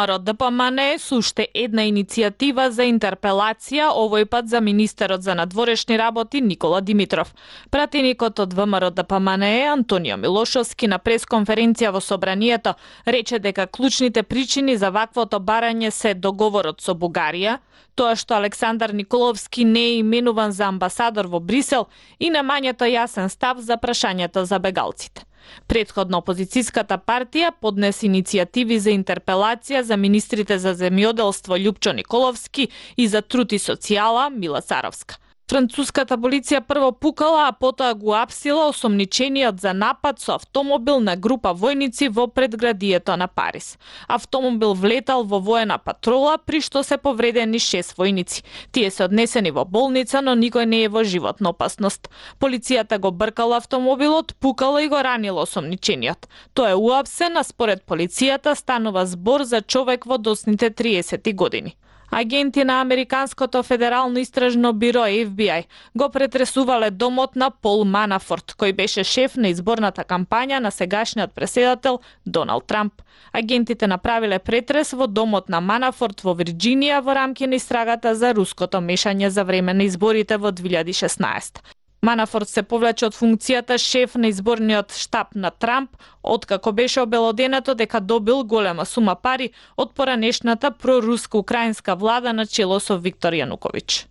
ДПМН со уште една иницијатива за интерпелација, овој пат за министерот за надворешни работи Никола Димитров. Пратеникот од ВМРО ДПМН Антонио Милошовски на пресконференција во Собранието рече дека клучните причини за ваквото барање се договорот со Бугарија, тоа што Александар Николовски не е именуван за амбасадор во Брисел и немањето јасен став за прашањето за бегалците. Претходно опозицијската партија поднесе иницијативи за интерпелација за министрите за земјоделство Љупчо Николовски и за труд и социјала Мила Царовска. Француската полиција прво пукала, а потоа го апсила осомничениот за напад со автомобил на група војници во предградието на Париз. Автомобил влетал во воена патрола, при што се повредени 6 војници. Тие се однесени во болница, но никој не е во животна опасност. Полицијата го бркала автомобилот, пукала и го ранила осомничениот. Тој е уапсен, а според полицијата станува збор за човек во досните 30 години. Агенти на Американското федерално истражно биро FBI го претресувале домот на Пол Манафорт, кој беше шеф на изборната кампања на сегашниот претседател Доналд Трамп. Агентите направиле претрес во домот на Манафорт во Вирџинија во рамки на истрагата за руското мешање за време на изборите во 2016. Манафорт се повлече од функцијата шеф на изборниот штаб на Трамп, откако беше обелоденето дека добил голема сума пари од поранешната проруска-украинска влада на чело со Виктор Јануковиќ.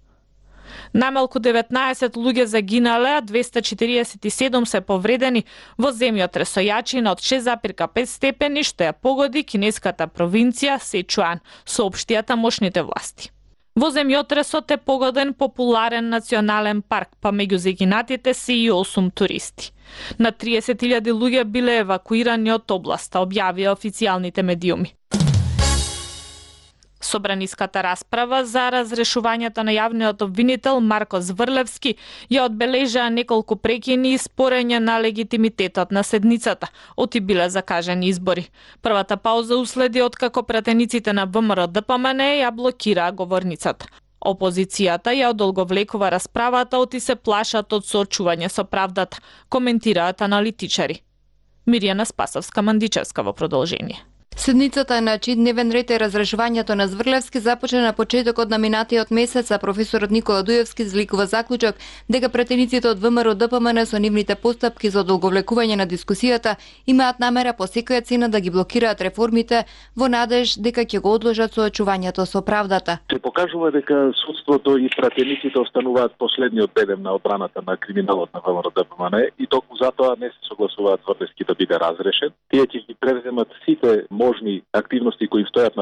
Најмалку 19 луѓе загинале, а 247 се повредени во земјотрес со јачина од 6,5 степени, што ја погоди кинеската провинција Сечуан, соопштија тамошните власти. Во земјотресот е погоден популарен национален парк, па меѓу загинатите се и 8 туристи. На 30.000 луѓе биле евакуирани од областа, објавија официјалните медиуми. Собраниската расправа за разрешувањето на јавниот обвинител Марко Зврлевски ја одбележаа неколку прекини и спорење на легитимитетот на седницата, оти биле закажани избори. Првата пауза уследи откако пратениците на ВМРО ДПМН ја блокираа говорницата. Опозицијата ја одолговлекува расправата, оти се плашат од соочување со правдата, коментираат аналитичари. Мирјана Спасовска-Мандичевска во продолжение. Седницата на чиј дневен ред е разрешувањето на Зврлевски започна на почетокот на минатиот месец, а професорот Никола Дуевски изликува заклучок дека пратениците од ВМРО ДПМН со нивните постапки за одолговлекување на дискусијата имаат намера по секоја цена да ги блокираат реформите во надеж дека ќе го одложат соочувањето со правдата. Се покажува дека судството и пратениците остануваат последниот бедем на одбраната на криминалот на ВМРО ДПМН и токму затоа не се согласуваат Зврлевски да биде разрешен. Тие ќе ги превземат сите можни активности кои стојат на